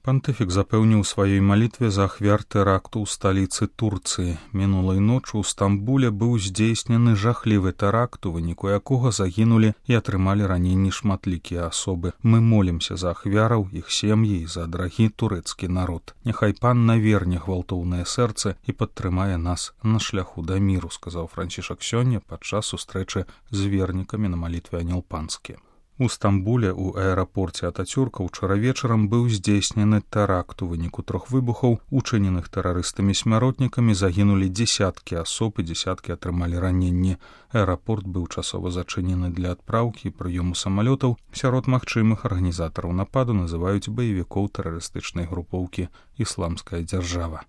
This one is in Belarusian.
Пантыфік запэўніў сваёй малітве за ахвяр тэракту ў сталіцы Турцыі. Мінулай ночы ў Стамбуле быў здзейснены жахлівы тэракт, у выніку якога загінулі і атрымалі раненні шматлікія асобы. Мы молімся за ахвяраў, іх сем'і і за драгі турэцкі народ. Няхай пан наверне гвалтоўнае сэрцы і падтрымае нас на шляху да міру, сказаў Францішак сёння падчас сустрэчы з вернікамі на малітве Анёл Панскі. У Стамбуле у аэрапорце Атацюрка ўчора вечарам быў здзейснены тэракт. У выніку 3 выбухаў, учыненых тэрарыстамі-смяротнікамі, загінулі дзесяткі асоб і дзесяткі атрымалі раненні. Аэрапорт быў часова зачынены для адпраўкі і прыёму самалётаў. Сярод магчымых арганізатараў нападу называюць баевікоў тэрарыстычнай групоўкі «Ісламская дзяржава».